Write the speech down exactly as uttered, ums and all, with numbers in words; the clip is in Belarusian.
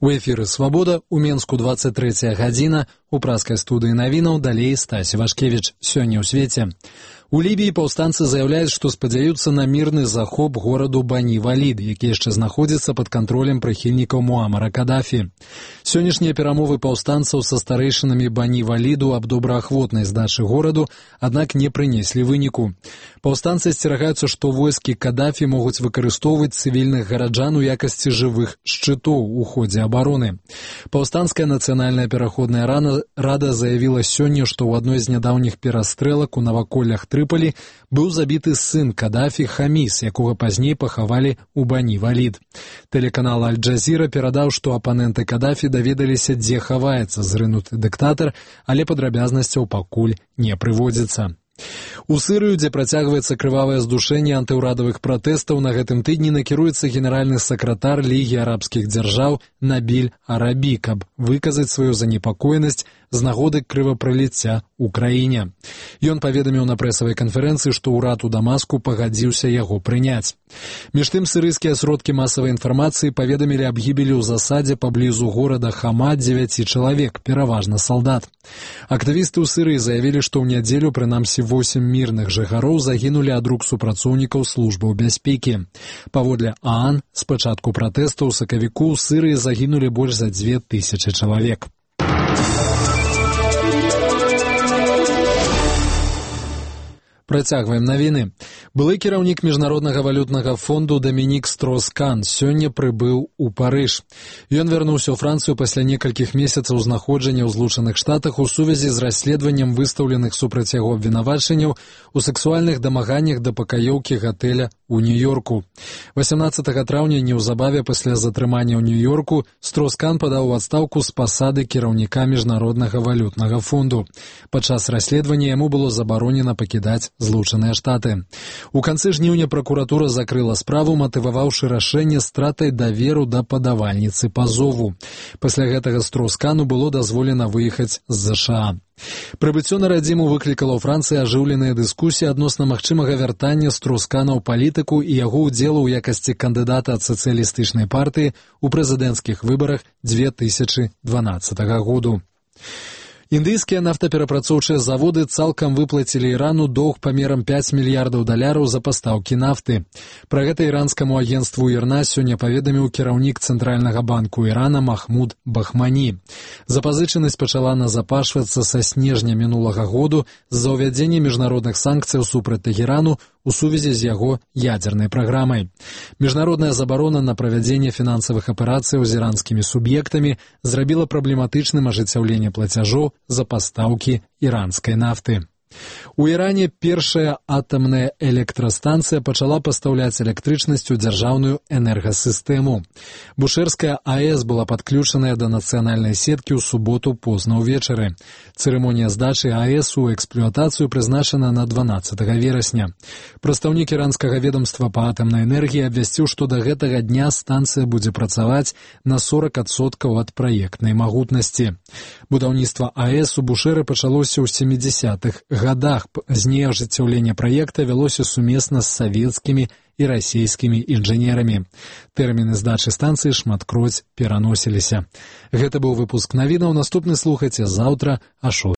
У эфіры «Свабода», у Менску двадцать третья гадзіна, у праскай студыі навінаў далей Стась Івашкевіч. Сёння ў свеце. У Лібіі паўстанцы заяўляюць, што спадзяюцца на мірны захоп гораду Бані-Валід, які яшчэ знаходзіцца пад кантролем прыхільнікаў Муамара Кадафі. Сённяшнія перамовы паўстанцаў са старэйшынамі Бані-Валіду аб добраахвотнай здачы гораду, аднак не прынеслі выніку. Паўстанцы асцерагаюцца, што войскі Кадафі могуць выкарыстоўваць цывільных гараджан у якасці жывых шчытоў у ходзе абароны. Паўстанская нацыянальная пераходная рада заявіла сёння, што ў адной з нядаўніх перастрэлак у наваколлях Трыполі быў забіты сын Кадафі Хаміс, якога пазней пахавалі ў Бані-Валід. Тэлеканал Аль-Джазіра перадаў, што апаненты Кадафі даведаліся, дзе хаваецца зрынуты дыктатар, але падрабязнасцяў пакуль не прыводзіцца. У Сырыю, дзе працягваецца крывавае здушэнне антыўрадавых пратэстаў, на гэтым тыдні накіруецца генеральны сакратар Лігі арабскіх дзяржаў Набіль Арабі, каб выказаць сваю занепакоенасць з нагоды крывапраліцця ў краіне. Ён паведаміў на прэсавай канферэнцыі, што ўрад у Дамаску пагадзіўся яго прыняць. Між тым, сырыйскія сродкі масавай інфармацыі паведамілі аб гібелі ў засадзе паблізу горада Хама дзевяці чалавек, пераважна салдат. Актывісты ў Сырыі заявілі, што ў нядзелю прынамсі восем мірных жыхароў загінулі ад рук супрацоўнікаў службаў бяспекі. Паводле ААН, з пачатку пратэстаў у сакавіку ў Сырыі загінулі больш за дзве тысячы чалавек. Працягваем навіны. Былы кіраўнік Міжнароднага валютнага фонду Дамінік Строз-Кан сёння прыбыў у Парыж. Ён вярнуўся ў Францыю пасля некалькіх месяцаў знаходжання ў Злучаных Штатах у сувязі з расследаваннем выстаўленых супраць яго абвінавачанняў у сексуальных дамаганнях да пакаёўкі гатэля у Нью-Йорку. васямнаццатага траўня, неўзабаве пасля затрымання ў Нью-Йорку, Строз-Кан падаў у адстаўку з пасады кіраўніка Міжнароднага валютнага фонду. Падчас расследавання яму было забаронена пакідаць Злучаныя Штаты. У канцы жніўня пракуратура закрыла справу, матываваўшы рашэнне стратай даверу да падавальніцы пазову. Пасля гэтага Строз-Кану было дазволена выехаць з ЗША. Прыбыццё на радзіму выклікала ў Францыі ажыўленыя дыскусіі адносна магчымага вяртання Строз-Кана ў палітыку і яго ўдзелу ў якасці кандыдата ад сацыялістычнай партыі ў прэзідэнцкіх выбарах дзве тысячы дванаццатага году. Індыйскія нафтаперапрацоўчыя заводы цалкам выплацілі Ірану доўг памерам пяць мільярдаў даляраў за пастаўкі нафты. Пра гэта іранскаму агенцтву ІРНА сёння паведаміў кіраўнік Цэнтральнага банку Ірана Махмуд Бахмані. Запазычанасць пачала назапашвацца са снежня мінулага году з-за ўвядзення міжнародных санкцыяў супраць Тэхерану у сувязі з яго ядзернай праграмай. Міжнародная забарона на правядзенне фінансавых аперацыяў з іранскімі суб'ектамі зрабіла праблематычным ажыццяўленне плацяжоў за пастаўкі іранскай нафты. У Іране першая атамная электрастанцыя пачала пастаўляць электрычнасць у дзяржаўную энергасістэму. Бушэрская АЭС была падключаная да нацыянальнай сеткі ў суботу позна ўвечары. Цырымонія здачы АЭС у эксплуатацыю прызначана на дванаццатага верасня. Прадстаўнік іранскага ведомства па атамнай энергіі абвясціў, што да гэтага дня станцыя будзе працаваць на сорок адсоткаў ад праектнай магутнасці. Будаўніцтва АЭС у Бушэры пачалося ў сямідзясятых годах. Пазней ажыццяўленне праекта вялося сумесна з савецкімі і расійскімі інжынерамі. Тэрміны здачы станцыі шматкроць пераносіліся. Гэта быў выпуск навінаў. Наступны слухайце заўтра а шостай.